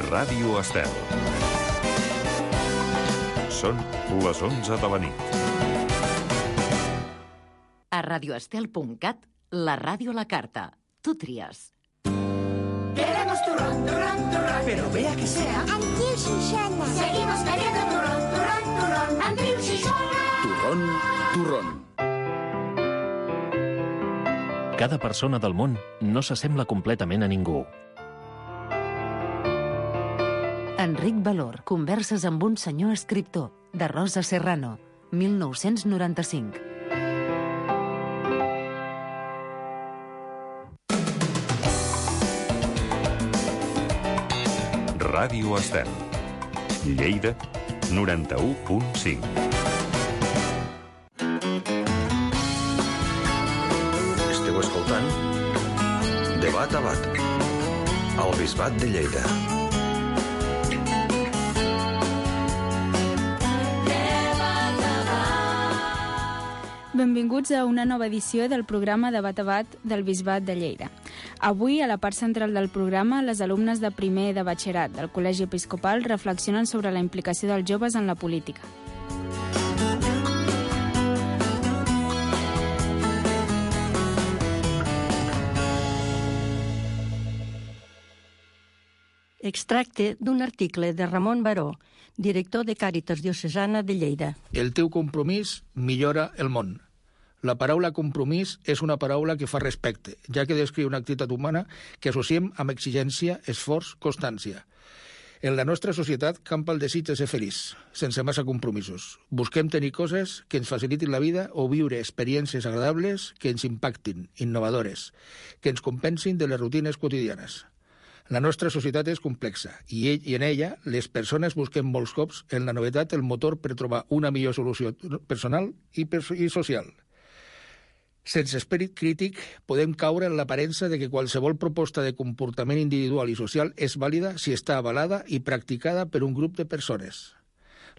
Ràdio Estel. Són les 11 de la nit. A radioestel.cat, la ràdio a la carta. Tu tries. Queremos turrón, turrón, turrón. Pero vea que sea Antiu Xixona. Seguimos queriendo turrón, turrón, turrón. Antiu Xixona. turrón, turrón. Cada persona del món no s'assembla completament a ningú. Enric Valor, converses amb un senyor escriptor, de Rosa Serrano, 1995. Ràdio Estel. Lleida, 91.5. Esteu escoltant Debat a Bat, al Bisbat de Lleida. Benvinguts a una nova edició del programa Debat a Bat del Bisbat de Lleida. Avui, a la part central del programa, les alumnes de primer de batxillerat del Col·legi Episcopal reflexionen sobre la implicació dels joves en la política. Extracte d'un article de Ramon Baró, director de Càritas Diocesana de Lleida. El teu compromís millora el món. La paraula compromís és una paraula que fa respecte, ja que descriu una activitat humana que associem amb exigència, esforç, constància. En la nostra societat campa el desig de ser feliç, sense massa compromisos. Busquem tenir coses que ens facilitin la vida o viure experiències agradables que ens impactin, innovadores, que ens compensin de les rutines quotidianes. La nostra societat és complexa i en ella les persones busquem molts cops en la novetat el motor per trobar una millor solució personal i social. Sense esperit crític podem caure en l'aparença de que qualsevol proposta de comportament individual i social és vàlida si està avalada i practicada per un grup de persones.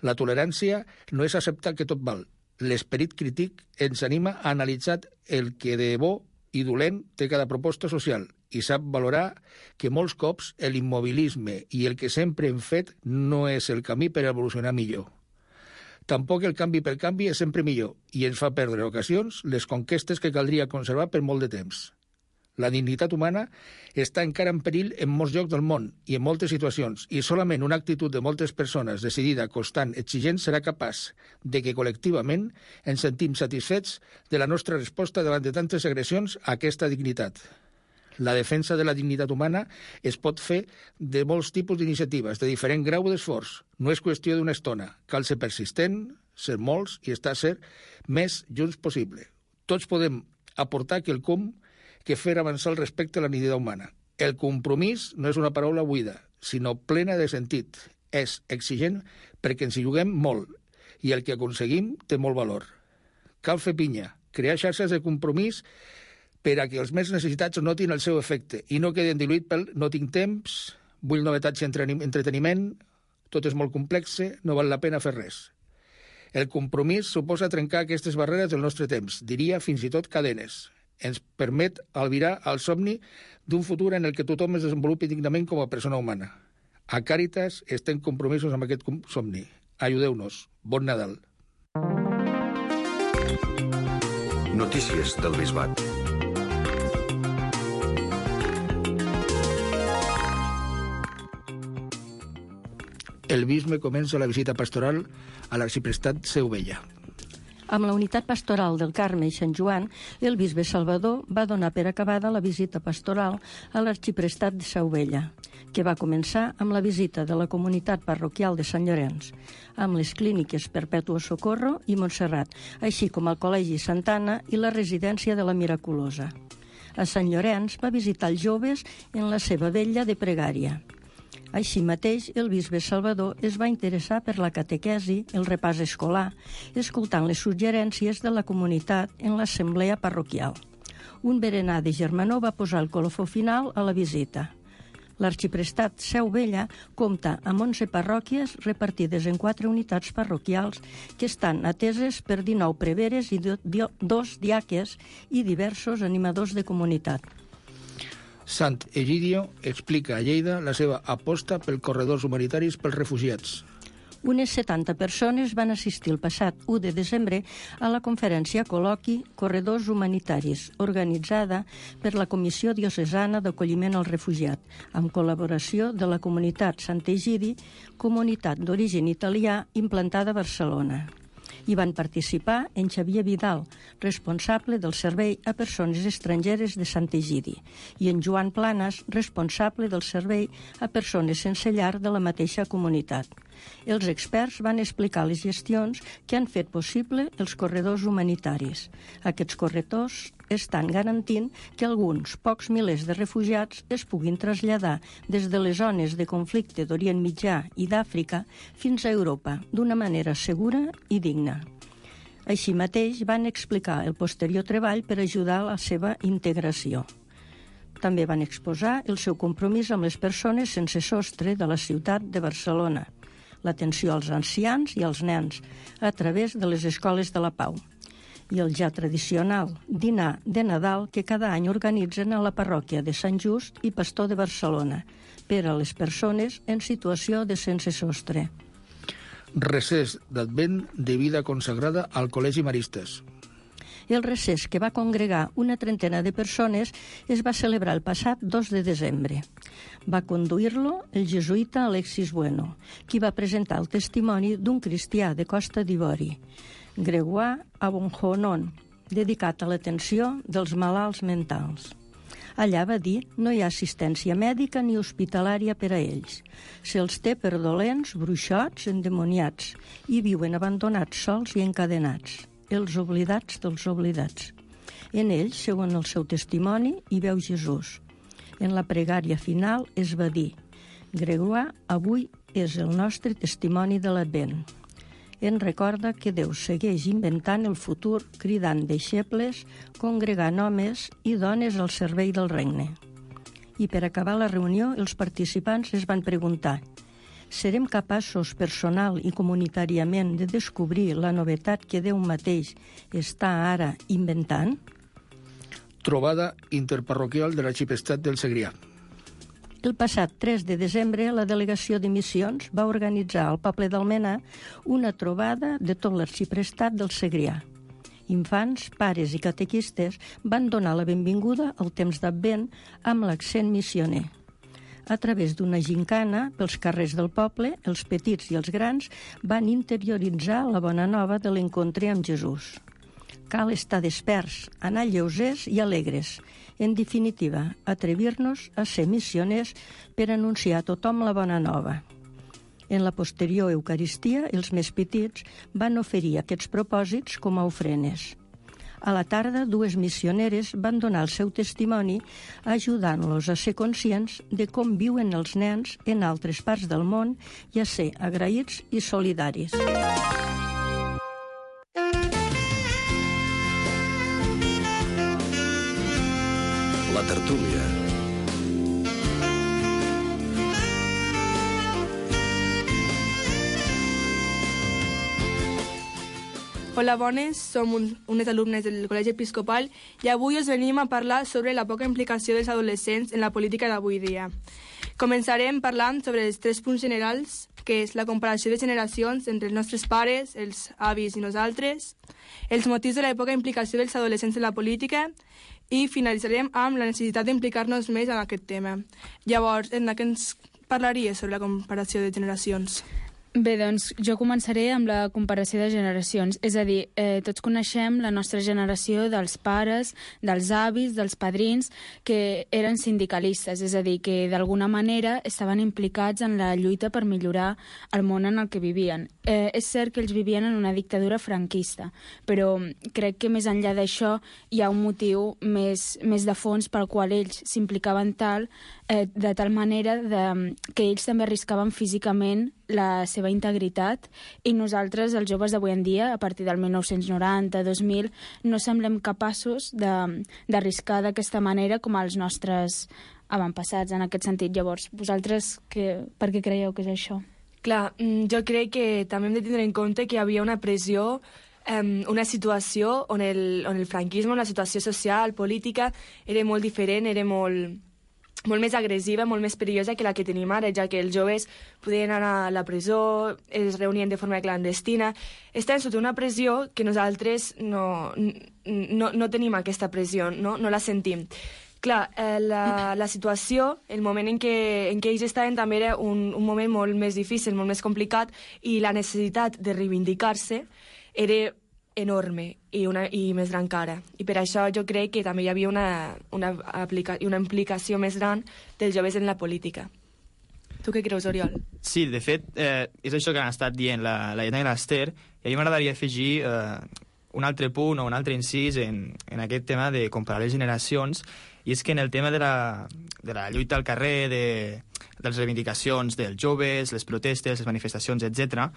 La tolerància no és acceptar que tot val. L'esperit crític ens anima a analitzar el que de bo i dolent té cada proposta social i sap valorar que molts cops l'immobilisme i el que sempre hem fet no és el camí per evolucionar millor. Tampoc el canvi per canvi és sempre millor i ens fa perdre ocasions les conquestes que caldria conservar per molt de temps. La dignitat humana està encara en perill en molts llocs del món i en moltes situacions i solament una actitud de moltes persones decidida, constant, exigent serà capaç de que col·lectivament ens sentim satisfets de la nostra resposta davant de tantes agressions a aquesta dignitat. La defensa de la dignitat humana es pot fer de molts tipus d'iniciatives, de diferent grau d'esforç. No és qüestió d'una estona. Cal ser persistent, ser molts i estar ser més junts possible. Tots podem aportar quelcom que fer avançar el respecte a la dignitat humana. El compromís no és una paraula buida, sinó plena de sentit. És exigent perquè ens hi juguem molt i el que aconseguim té molt valor. Cal fer pinya, crear xarxes de compromís per a que els més necessitats notin el seu efecte i no queden diluïts pel no tinc temps, vull novetats i entreteniment, tot és molt complex, no val la pena fer res. El compromís suposa trencar aquestes barreres del nostre temps, diria fins i tot cadenes. Ens permet albirar el somni d'un futur en el que tothom es desenvolupi dignament com a persona humana. A Càritas estem compromisos amb aquest somni. Ajudeu-nos. Bon Nadal. Notícies del Bisbat. El bisbe comença la visita pastoral a l'arxiprestat Seu Vella. Amb la unitat pastoral del Carme i Sant Joan, el bisbe Salvador va donar per acabada la visita pastoral a l'arxiprestat de Seu Vella, que va començar amb la visita de la comunitat parroquial de Sant Llorenç, amb les clíniques Perpètua Socorro i Montserrat, així com el Col·legi Santana i la residència de la Miraculosa. A Sant Llorenç va visitar els joves en la seva vetlla de pregària. Així mateix, el bisbe Salvador es va interessar per la catequesi, el repàs escolar, escoltant les suggerències de la comunitat en l'assemblea parroquial. Un berenar de germanor va posar el colofó final a la visita. L'arxiprestat Seu Vella compta amb 11 parròquies repartides en 4 unitats parroquials que estan ateses per 19 preveres i 2 diaques i diversos animadors de comunitat. Sant Egidio explica a Lleida la seva aposta pel corredors humanitaris pels refugiats. Unes 70 persones van assistir el passat 1 de desembre a la conferència col·loqui Corredors Humanitaris, organitzada per la Comissió Diocesana d'Acolliment al Refugiat, amb col·laboració de la comunitat Sant Egidi, comunitat d'origen italià implantada a Barcelona. Hi van participar en Xavier Vidal, responsable del Servei a Persones Estrangeres de Sant Egidi, i en Joan Planas, responsable del Servei a Persones Sense Llar de la mateixa comunitat. Els experts van explicar les gestions que han fet possible els corredors humanitaris. Aquests corredors estan garantint que alguns pocs milers de refugiats es puguin traslladar des de les zones de conflicte d'Orient Mitjà i d'Àfrica fins a Europa d'una manera segura i digna. Així mateix van explicar el posterior treball per ajudar a la seva integració. També van exposar el seu compromís amb les persones sense sostre de la ciutat de Barcelona, l'atenció als ancians i als nens a través de les escoles de la Pau i el ja tradicional dinar de Nadal que cada any organitzen a la parròquia de Sant Just i Pastor de Barcelona per a les persones en situació de sense sostre. Recés d'Advent de vida consagrada al Col·legi Maristes. El recés, que va congregar una trentena de persones, es va celebrar el passat 2 de desembre. Va conduir-lo el jesuïta Alexis Bueno, qui va presentar el testimoni d'un cristià de Costa d'Ivori, Gregoire Abonjonon, dedicat a l'atenció dels malalts mentals. Allà va dir no hi ha assistència mèdica ni hospitalària per a ells. Se'ls té per dolents, bruixots, endemoniats, i viuen abandonats sols i encadenats. Els oblidats dels oblidats. En ells, segons el seu testimoni, hi veu Jesús. En la pregària final es va dir Gregoire, avui és el nostre testimoni de l'Advent. En recorda que Déu segueix inventant el futur, cridant deixebles, congregant homes i dones al servei del regne. I per acabar la reunió, els participants es van preguntar: serem capaços personal i comunitàriament de descobrir la novetat que Déu mateix està ara inventant? Trobada interparroquial de l'Arxiprestat del Segrià. El passat 3 de desembre, la delegació de missions va organitzar al poble d'Almenar una trobada de tot l'Arxiprestat del Segrià. Infants, pares i catequistes van donar la benvinguda al temps d'Advent amb l'accent missioner. A través d'una gincana, pels carrers del poble, els petits i els grans van interioritzar la bona nova de l'encontre amb Jesús. Cal estar desperts, anar lleugers i alegres. En definitiva, atrevir-nos a ser missioners per anunciar a tothom la bona nova. En la posterior Eucaristia, els més petits van oferir aquests propòsits com a ofrenes. A la tarda, 2 missioneres van donar el seu testimoni ajudant-los a ser conscients de com viuen els nens en altres parts del món i a ser agraïts i solidaris. La tertúlia. Hola, bones. Som unes alumnes del Col·legi Episcopal i avui us venim a parlar sobre la poca implicació dels adolescents en la política d'avui dia. Començarem parlant sobre els 3 punts generals, que és la comparació de generacions entre els nostres pares, els avis i nosaltres, els motius de la poca implicació dels adolescents en la política i finalitzarem amb la necessitat d'implicar-nos més en aquest tema. Llavors, Edna, què ens parlaries sobre la comparació de generacions? Bé, doncs jo començaré amb la comparació de generacions. És a dir, tots coneixem la nostra generació dels pares, dels avis, dels padrins, que eren sindicalistes, és a dir, que d'alguna manera estaven implicats en la lluita per millorar el món en el que vivien. És cert que ells vivien en una dictadura franquista, però crec que més enllà d'això hi ha un motiu més de fons pel qual ells s'implicaven de tal manera que ells també arriscaven físicament la seva integritat i nosaltres, els joves d'avui en dia, a partir del 1990-2000, no semblem capaços d'arriscar d'aquesta manera com els nostres avantpassats en aquest sentit. Llavors, vosaltres per què creieu que és això? Clar, jo crec que també hem de tindre en compte que hi havia una pressió, una situació on el franquisme, la situació social, política, era molt diferent, era molt molt més agressiva, molt més perillosa que la que tenim ara, ja que els joves podien anar a la presó, es reunien de forma clandestina. Estem sota una pressió que nosaltres no tenim aquesta pressió, no la sentim. Clar, la situació, el moment en què ells estaven també era un moment molt més difícil, molt més complicat, i la necessitat de reivindicar-se era enorme i més gran encara. I per això jo crec que també hi havia una implicació més gran dels joves en la política. Tu què creus, Oriol? Sí, de fet, és això que han estat dient la Ietana i l'Ester, i a mi m'agradaria afegir un altre punt o un altre incís en aquest tema de comparar les generacions, i és que en el tema de la lluita al carrer, de les reivindicacions dels joves, les protestes, les manifestacions, etc.,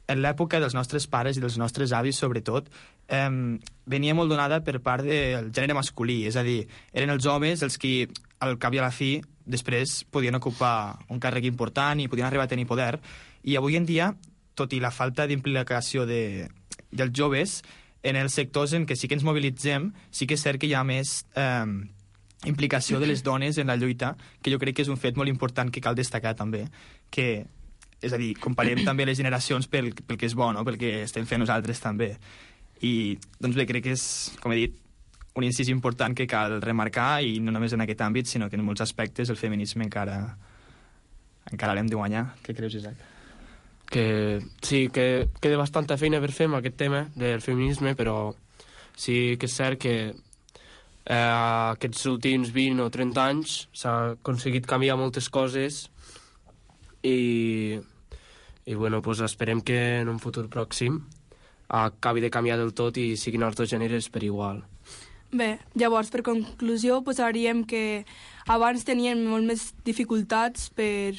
en l'època dels nostres pares i dels nostres avis, sobretot, venia molt donada per part del gènere masculí, és a dir, eren els homes els que, al cap i a la fi, després podien ocupar un càrrec important i podien arribar a tenir poder, i avui en dia, tot i la falta d'implicació dels joves, en els sectors en què sí que ens mobilitzem, sí que és cert que hi ha més implicació de les dones en la lluita, que jo crec que és un fet molt important que cal destacar també, que, és a dir, comparem també les generacions pel que és bo, no? Pel que estem fent nosaltres també. I, doncs bé, crec que és, com he dit, un incís important que cal remarcar, i no només en aquest àmbit, sinó que en molts aspectes el feminisme encara l'hem de guanyar. Què creus, Isaac? Que sí, que queda bastanta feina per fer amb aquest tema del feminisme, però sí que és cert que aquests últims 20 o 30 anys s'ha aconseguit canviar moltes coses i bueno, doncs esperem que en un futur pròxim acabi de canviar del tot i siguin els dos gèneres per igual. Bé, llavors, per conclusió, posaríem que abans tenien molt més dificultats per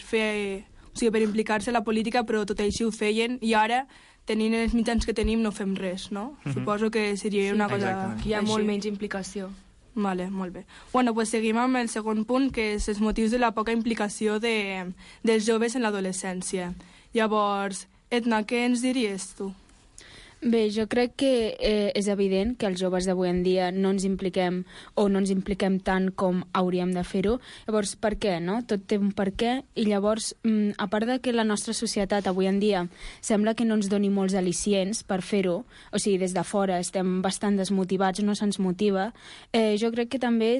per implicar-se en la política, però tot així ho feien, i ara, tenint els mitjans que tenim, no fem res, no? Suposo que seria una cosa... Exactament. Que hi ha molt menys implicació. Vale, molt bé. Bueno, pues seguim amb el segon punt, que és els motius de la poca implicació dels joves en l'adolescència. Llavors, Edna, què ens diries tu? Bé, jo crec que és evident que els joves d'avui en dia no ens impliquem tant com hauríem de fer-ho. Llavors, per què, no? Tot té un per què, i llavors, a part de que la nostra societat avui en dia sembla que no ens doni molts al·licients per fer-ho, o sigui, des de fora estem bastant desmotivats, no se'ns motiva, jo crec que també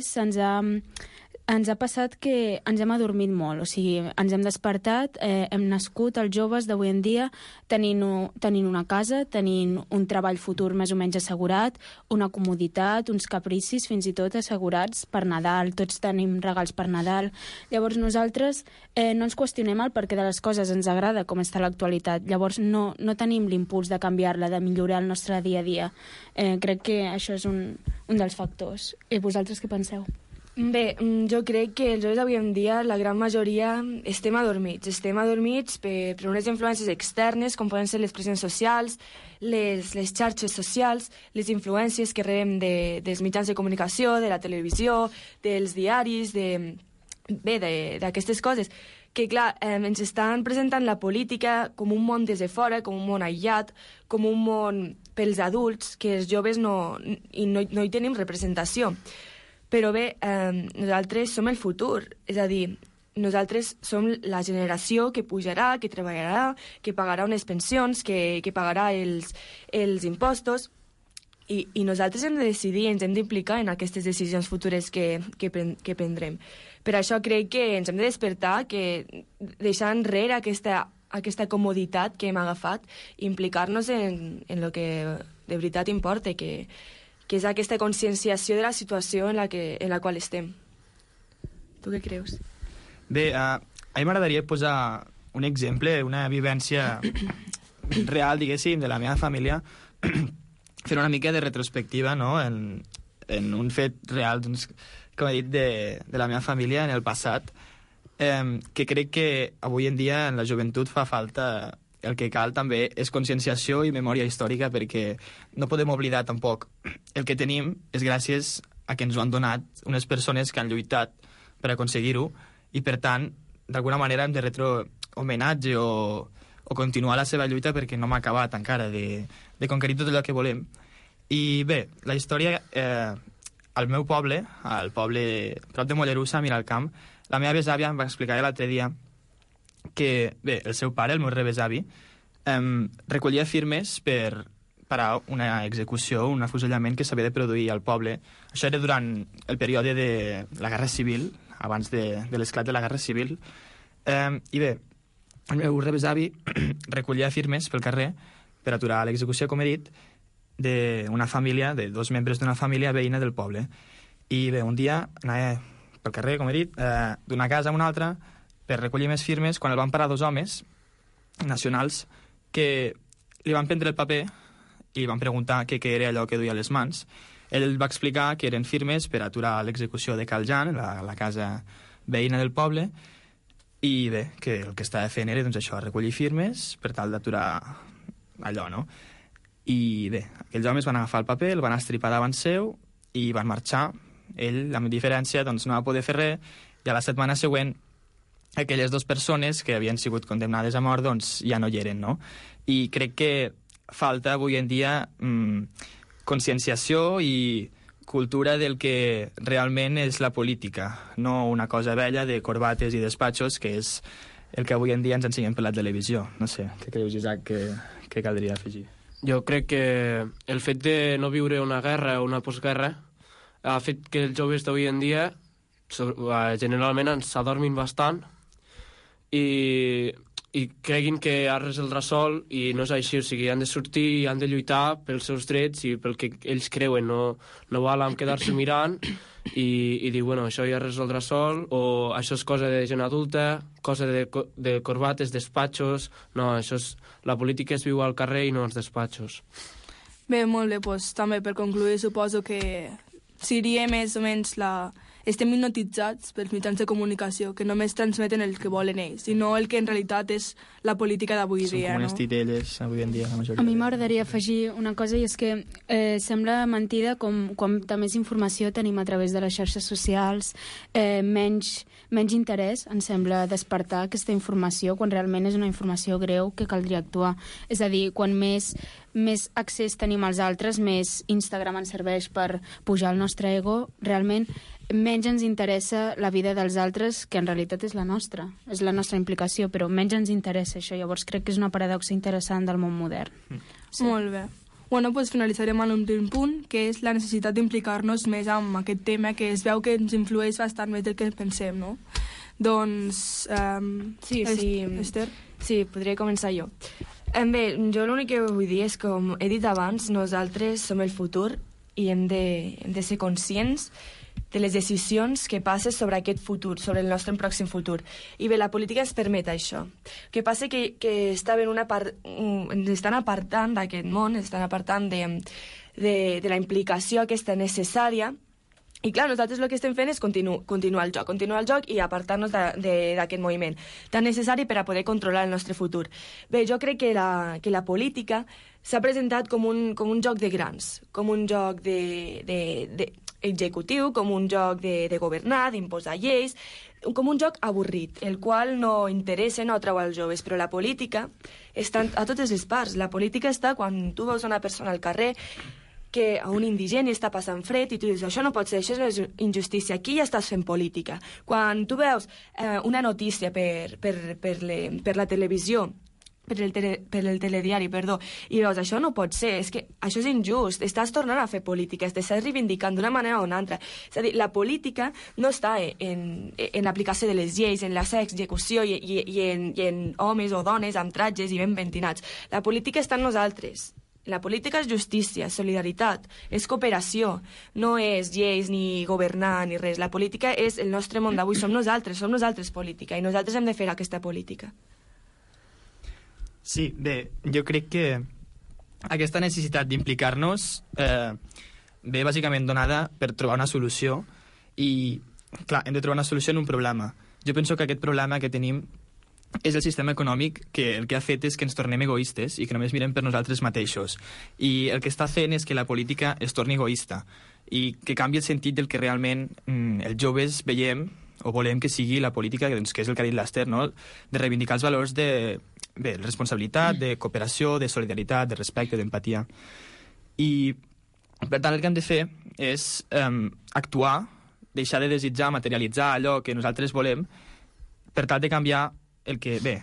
ens ha passat que ens hem adormit molt, o sigui, ens hem despertat, hem nascut els joves d'avui en dia tenint una casa, tenint un treball futur més o menys assegurat, una comoditat, uns capricis fins i tot assegurats per Nadal, tots tenim regals per Nadal. Llavors nosaltres no ens qüestionem el perquè de les coses, ens agrada com està l'actualitat, llavors no tenim l'impuls de canviar-la, de millorar el nostre dia a dia. Crec que això és un dels factors. I vosaltres què penseu? Bé, jo crec que els joves d'avui en dia, la gran majoria, estem adormits per unes influències externes, com poden ser les pressions socials, les xarxes socials, les influències que rebem dels mitjans de comunicació, de la televisió, dels diaris, d'aquestes coses, que clar, ens estan presentant la política com un món des de fora, com un món aïllat, com un món pels adults, que els joves no hi tenim representació. Però bé, nosaltres som el futur, és a dir, nosaltres som la generació que pujarà, que treballarà, que pagarà unes pensions, que pagarà els impostos, i nosaltres hem de decidir, ens hem d'implicar en aquestes decisions futures que prendrem. Per això crec que ens hem de despertar, que deixar enrere aquesta comoditat que hem agafat i implicar-nos en el que de veritat importa, que és aquesta conscienciació de la situació en la qual estem. Tu què creus? Bé, a mi m'agradaria posar un exemple, una vivència real, diguéssim, de la meva família, fer una mica de retrospectiva, no?, en un fet real, doncs, com he dit, de la meva família en el passat, que crec que avui en dia en la joventut fa falta. El que cal també és conscienciació i memòria històrica, perquè no podem oblidar tampoc el que tenim és gràcies a que ens ho han donat unes persones que han lluitat per aconseguir-ho, i per tant, d'alguna manera hem de retre homenatge o continuar la seva lluita, perquè no hem acabat encara de conquerir tot allò que volem. I bé, la història al meu poble, al poble prop de Mollerussa, a Miralcamp, la meva besàvia em va explicar l'altre dia que, bé, el seu pare, el meu rebesavi, recollia firmes per parar una execució, un afusellament que s'havia de produir al poble. Això era durant el període de la Guerra Civil, abans de l'esclat de la Guerra Civil. I bé, el meu rebesavi recollia firmes pel carrer per aturar l'execució, com he dit, d'una família, de 2 membres d'una família veïna del poble. I bé, un dia anava pel carrer, com he dit, d'una casa a una altra per recollir més firmes, quan el van parar 2 homes nacionals que li van prendre el paper i li van preguntar què era allò que duia a les mans. Ell va explicar que eren firmes per aturar l'execució de Cal Jan, la casa veïna del poble, i bé, que el que estava fent era doncs, això, recollir firmes per tal d'aturar allò, no? I bé, aquells homes van agafar el paper, el van estripar davant seu i van marxar. Ell, amb diferència, doncs, no va poder fer res, i a la setmana següent aquelles 2 persones que havien sigut condemnades a mort doncs, ja no hi eren, no? I crec que falta avui en dia conscienciació i cultura del que realment és la política, no una cosa vella de corbates i despatxos, que és el que avui en dia ens ensenyen per la televisió. No sé, què creus, Isaac, que caldria afegir? Jo crec que el fet de no viure una guerra o una postguerra ha fet que els joves d'avui en dia generalment s'adormin bastant i creguin que ara resoldrà sol, i no és així. O sigui, han de sortir i han de lluitar pels seus drets i pel que ells creuen. No val amb quedar-se mirant i dir, bueno, això ja resoldrà sol, o això és cosa de gent adulta, cosa de corbates, despatxos. No, això és... La política es viu al carrer i no als despatxos. Bé, molt bé, doncs també per concluir suposo que seria més o menys estem hipnotitzats pels mitjans de comunicació, que només transmeten el que volen ells, i no el que en realitat és la política d'avui dia. Són com unes titelles avui en dia, la majoria. A mi m'agradaria afegir una cosa, i és que sembla mentida com més informació tenim a través de les xarxes socials, menys interès, em sembla, despertar aquesta informació, quan realment és una informació greu que caldria actuar. És a dir, quan més accés tenim als altres, més Instagram ens serveix per pujar el nostre ego, realment menys ens interessa la vida dels altres, que en realitat és la nostra implicació, però menys ens interessa això. Llavors crec que és una paradoxa interessant del món modern. Sí. Molt bé. Bueno, doncs finalitzarem amb un primer punt, que és la necessitat d'implicar-nos més amb aquest tema, que es veu que ens influeix bastant més del que pensem, no? Doncs... Esther? Sí, podria començar jo. Bé, jo l'únic que vull dir és que, com he dit abans, nosaltres som el futur i hem de ser conscients de les decisions que passen sobre aquest futur, sobre el nostre pròxim futur. I bé, la política ens permet això. El que passa que ens estan apartant d'aquest món, ens estan apartant de la implicació aquesta necessària. I clar, nosaltres el que estem fent és continuar el joc i apartar-nos d'aquest moviment tan necessari per a poder controlar el nostre futur. Bé, jo crec que la política s'ha presentat com un joc de grans, com un joc executiu, com un joc de governar, d'imposar lleis, com un joc avorrit, el qual no interessa, no atrau als joves, però la política està a totes les parts. La política està quan tu veus una persona al carrer, que a un indigent està passant fred i tu dius, això no pot ser, això és injustícia, aquí ja estàs fent política. Quan tu veus una notícia per la televisió, per el telediari, i veus, això no pot ser, és que això és injust, estàs tornant a fer política, estàs reivindicant d'una manera o una altra. És a dir, la política no està en l'aplicació de les lleis, en la seva execució i en homes o dones amb tratges i ben pentinats. La política està en nosaltres. La política és justícia, solidaritat, és cooperació, no és lleis ni governar ni res. La política és el nostre món d'avui, som nosaltres política, i nosaltres hem de fer aquesta política. Sí, bé, jo crec que aquesta necessitat d'implicar-nos ve bàsicament donada per trobar una solució i, clar, hem de trobar una solució en un problema. Jo penso que aquest problema que tenim és el sistema econòmic que el que ha fet és que ens tornem egoistes i que només mirem per nosaltres mateixos. I el que està fent és que la política es torni egoista i que canvi el sentit del que realment els joves veiem o volem que sigui la política, doncs, que és el que ha dit l'Ester, no? De reivindicar els valors de responsabilitat, de cooperació, de solidaritat, de respecte, d'empatia. I Per tant, el que hem de fer és actuar, deixar de desitjar, materialitzar allò que nosaltres volem, per tal de canviar el que, bé,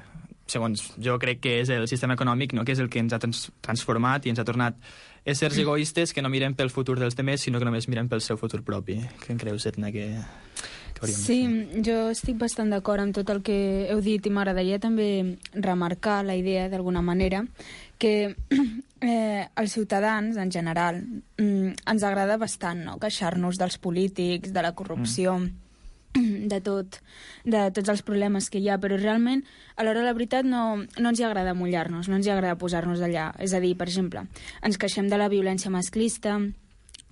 segons jo crec que és el sistema econòmic, no? Que és el que ens ha transformat i ens ha tornat éssers egoistes que no miren pel futur dels demés, sinó que només miren pel seu futur propi. Què en creus, Edna, que hauríem de fer? Sí, jo estic bastant d'acord amb tot el que heu dit i m'agradaria també remarcar la idea, d'alguna manera, que els ciutadans, en general, ens agrada bastant, no?, queixar-nos dels polítics, de la corrupció, de tots els problemes que hi ha, però realment, a l'hora de la veritat, no ens hi agrada mullar-nos, no ens hi agrada posar-nos allà. És a dir, per exemple, ens queixem de la violència masclista,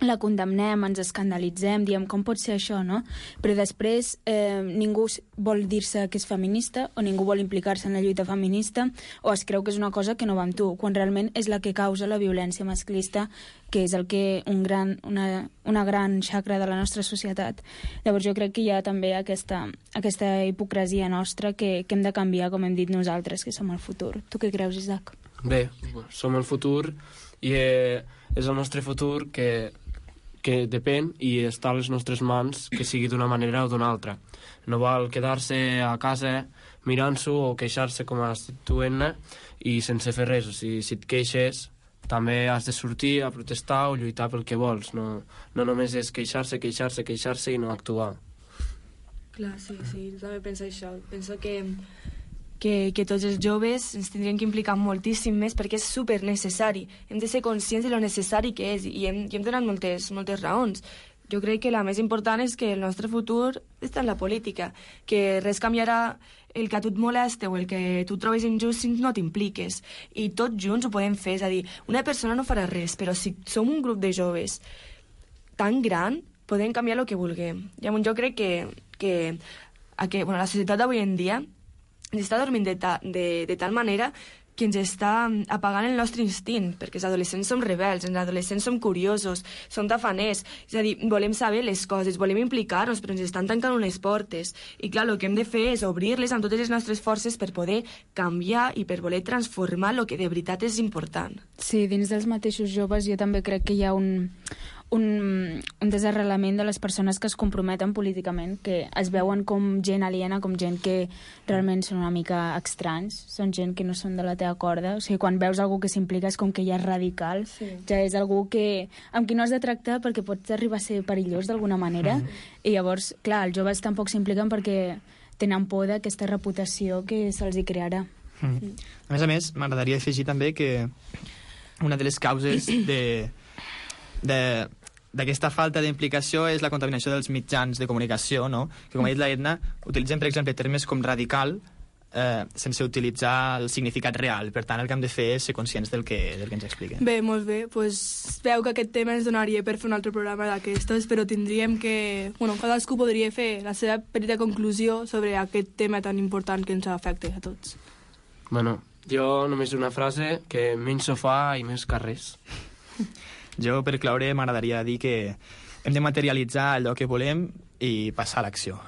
la condemnem, ens escandalitzem, diem com pot ser això, no? Però després ningú vol dir-se que és feminista o ningú vol implicar-se en la lluita feminista o es creu que és una cosa que no va amb tu, quan realment és la que causa la violència masclista, que és el que una gran xacra de la nostra societat. Llavors jo crec que hi ha també aquesta hipocresia nostra que hem de canviar, com hem dit nosaltres, que som el futur. Tu què creus, Isaac? Bé, som el futur i és el nostre futur que depèn i està a les nostres mans, que sigui d'una manera o d'una altra. No val quedar-se a casa mirant-s'ho o queixar-se, com has dit tu, Edna, i sense fer res. O sigui, si et queixes, també has de sortir a protestar o lluitar pel que vols. No només és queixar-se i no actuar. Clar, sí, jo també penso això. Penso que tots els joves ens tindrien que implicar moltíssim més perquè és super necessari. Hem de ser conscients de lo necessari que és i hem donat moltes raons. Jo crec que la més important és que el nostre futur està en la política, que res canviarà el que a tu et molesta o el que tu trobes injust si no t'impliques. I tots junts ho podem fer, és a dir, una persona no farà res, però si som un grup de joves tan gran, podem canviar el que vulguem. Jo crec que la societat d'avui en dia ens està dormint de tal manera que ens està apagant el nostre instint, perquè els adolescents som rebels, els adolescents som curiosos, som tafaners, és a dir, volem saber les coses, volem implicar-nos, però ens estan tancant unes portes. I clar, el que hem de fer és obrir-les amb totes les nostres forces per poder canviar i per voler transformar el que de veritat és important. Sí, dins dels mateixos joves jo també crec que hi ha un desarrelament de les persones que es comprometen políticament, que es veuen com gent aliena, com gent que realment són una mica estranys, són gent que no són de la teva corda. O sigui, quan veus algú que s'implica és com que ja és radical, ja és algú amb qui no has de tractar perquè pot arribar a ser perillós d'alguna manera, i llavors, clar, els joves tampoc s'impliquen perquè tenen por d'aquesta reputació que se'ls hi crearà. A més, m'agradaria afegir també que una de les causes d'aquesta falta d'implicació és la contaminació dels mitjans de comunicació, no? Que, com ha dit la Edna, utilitzen, per exemple, termes com radical sense utilitzar el significat real. Per tant, el que hem de fer és ser conscients del que ens expliquen. Bé, molt bé. Pues, veu que aquest tema ens donaria per fer un altre programa d'aquestos, però tindríem que... cadascú podria fer la seva petita conclusió sobre aquest tema tan important que ens afecta a tots. Jo només una frase, que menys sofà i més carrers. Jo, per cloure, m'agradaria dir que hem de materialitzar allò que volem i passar a l'acció.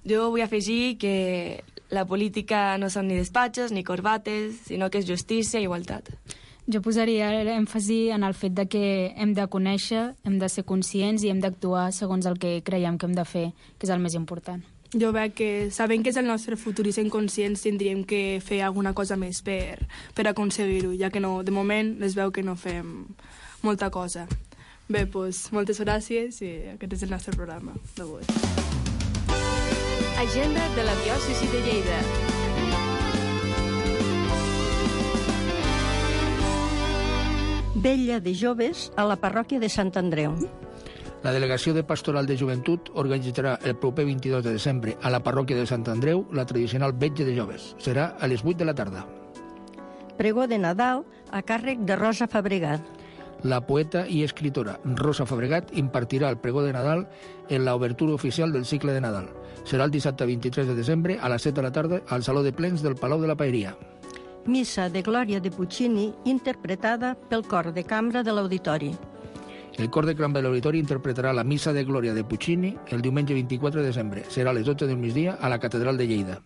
Jo vull afegir que la política no són ni despatxos ni corbates, sinó que és justícia i igualtat. Jo posaria èmfasi en el fet de que hem de conèixer, hem de ser conscients i hem d'actuar segons el que creiem que hem de fer, que és el més important. Jo veig que, sabent que és el nostre futur i sent conscients, tindríem que fer alguna cosa més per aconseguir-ho, ja que no, de moment es veu que no fem molta cosa. Bé, doncs, moltes gràcies i aquest és el nostre programa d'avui. Agenda de la diòcesi de Lleida. Vetlla de joves a la parròquia de Sant Andreu. La Delegació de Pastoral de Joventut organitzarà el proper 22 de desembre a la parròquia de Sant Andreu la tradicional vetlla de joves. Serà a les 8 de la tarda. Pregó de Nadal a càrrec de Rosa Fabregat. La poeta i escritora Rosa Fabregat impartirà el pregó de Nadal en l'obertura oficial del cicle de Nadal. Serà el dissabte 23 de desembre a les 7 de la tarda al Saló de Plens del Palau de la Paeria. Missa de Glòria de Puccini interpretada pel cor de cambra de l'Auditori. El cor de cambra de l'Auditori interpretarà la Missa de Glòria de Puccini el diumenge 24 de desembre. Serà a les 12 del migdia a la Catedral de Lleida.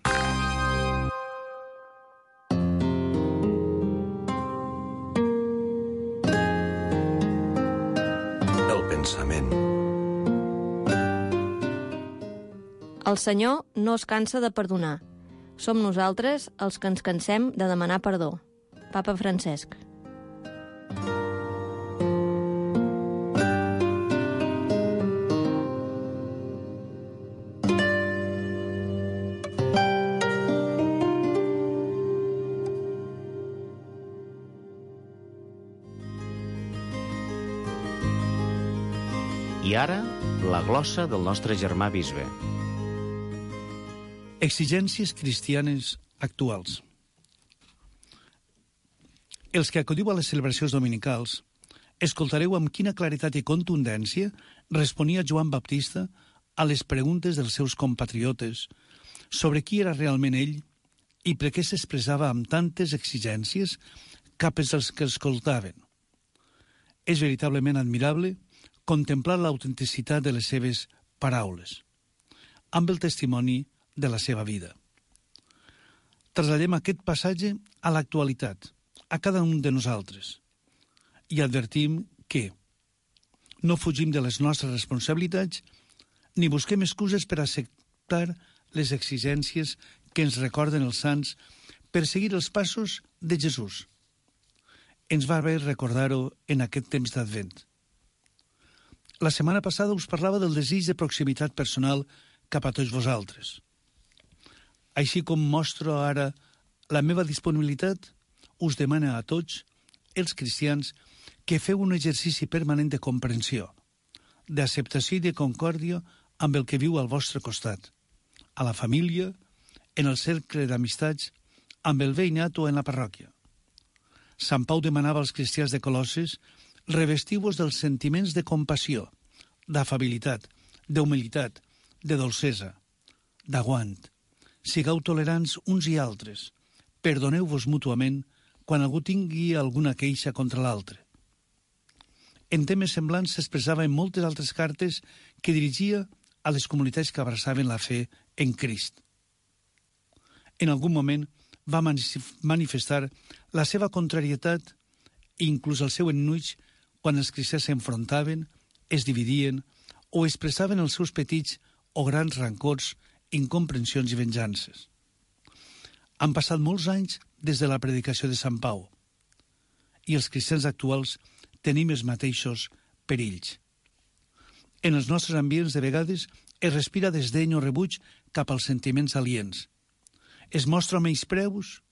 El Senyor no es cansa de perdonar. Som nosaltres els que ens cansem de demanar perdó. Papa Francesc. I ara, la glossa del nostre germà bisbe. Exigències cristianes actuals. Els que acudiu a les celebracions dominicals escoltareu amb quina claritat i contundència responia Joan Baptista a les preguntes dels seus compatriotes sobre qui era realment ell i per què s'expressava amb tantes exigències cap als que escoltaven. És veritablement admirable contemplar l'autenticitat de les seves paraules, amb el testimoni de la seva vida. Trasladem aquest passatge a l'actualitat, a cada un de nosaltres, i advertim que no fugim de les nostres responsabilitats ni busquem excuses per acceptar les exigències que ens recorden els sants per seguir els passos de Jesús. Ens va bé recordar-ho en aquest temps d'Advent. La setmana passada us parlava del desig de proximitat personal cap a tots vosaltres. Així com mostro ara la meva disponibilitat, us demana a tots, els cristians, que feu un exercici permanent de comprensió, d'acceptació i de concòrdia amb el que viu al vostre costat, a la família, en el cercle d'amistats, amb el veïnat o en la parròquia. Sant Pau demanava als cristians de Colosses: revestiu-vos dels sentiments de compassió, d'afabilitat, d'humilitat, de dolcesa, d'aguant. Sigueu tolerants uns i altres. Perdoneu-vos mútuament quan algú tingui alguna queixa contra l'altre. En temes semblants s'expressava en moltes altres cartes que dirigia a les comunitats que abraçaven la fe en Crist. En algun moment va manifestar la seva contrarietat i inclús el seu ennuig quan els cristians s'enfrontaven, es dividien o expressaven els seus petits o grans rancors, incomprensions i venjances. Han passat molts anys des de la predicació de Sant Pau i els cristians actuals tenim els mateixos perills. En els nostres ambients de vegades es respira desdeny o rebuig cap als sentiments aliens. Es mostra menyspreus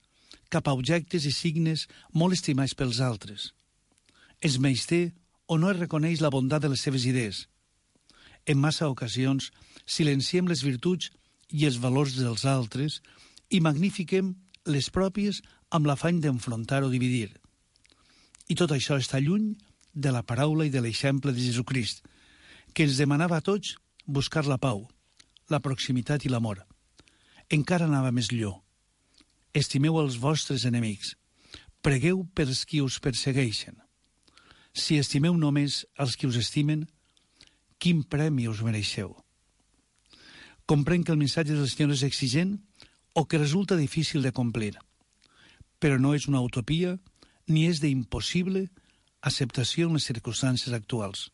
cap a objectes i signes molt estimats pels altres. Es menysté o no es reconeix la bondat de les seves idees. En massa ocasions silenciem les virtuts i els valors dels altres i magnifiquem les pròpies amb l'afany d'enfrontar o dividir. I tot això està lluny de la paraula i de l'exemple de Jesucrist, que ens demanava a tots buscar la pau, la proximitat i l'amor. Encara anava més lluny. Estimeu els vostres enemics. Pregueu pels qui us persegueixen. Si estimeu només els qui us estimen, quin premi us mereixeu? Comprenc que el missatge del Senyor és exigent o que resulta difícil de complir, però no és una utopia ni és d'impossible acceptació en les circumstàncies actuals.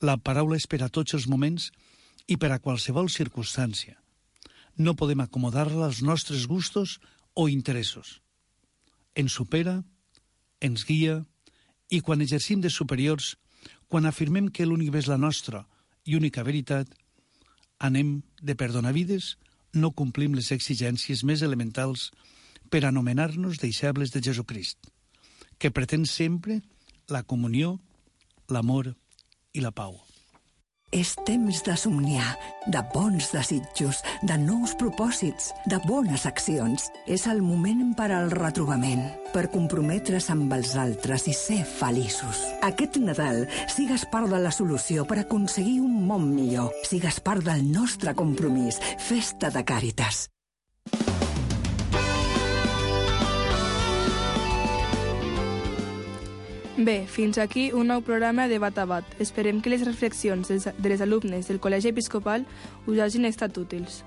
La paraula és per a tots els moments i per a qualsevol circumstància. No podem acomodar-la als nostres gustos o interessos. Ens supera, ens guia, i quan exercim de superiors, quan afirmem que l'únic és la nostra i única veritat, anem de perdonavides, no complim les exigències més elementals per anomenar-nos deixebles de Jesucrist, que pretén sempre la comunió, l'amor i la pau. És temps de somniar, de bons desitjos, de nous propòsits, de bones accions. És el moment per al retrobament, per comprometre's amb els altres i ser feliços. Aquest Nadal sigues part de la solució per aconseguir un món millor. Sigues part del nostre compromís. Festa de Càritas. Bé, fins aquí un nou programa de Bat a Bat. Esperem que les reflexions de les alumnes del Col·legi Episcopal us hagin estat útils.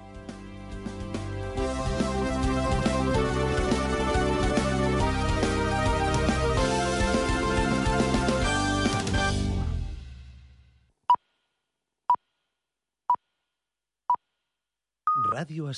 Ràdio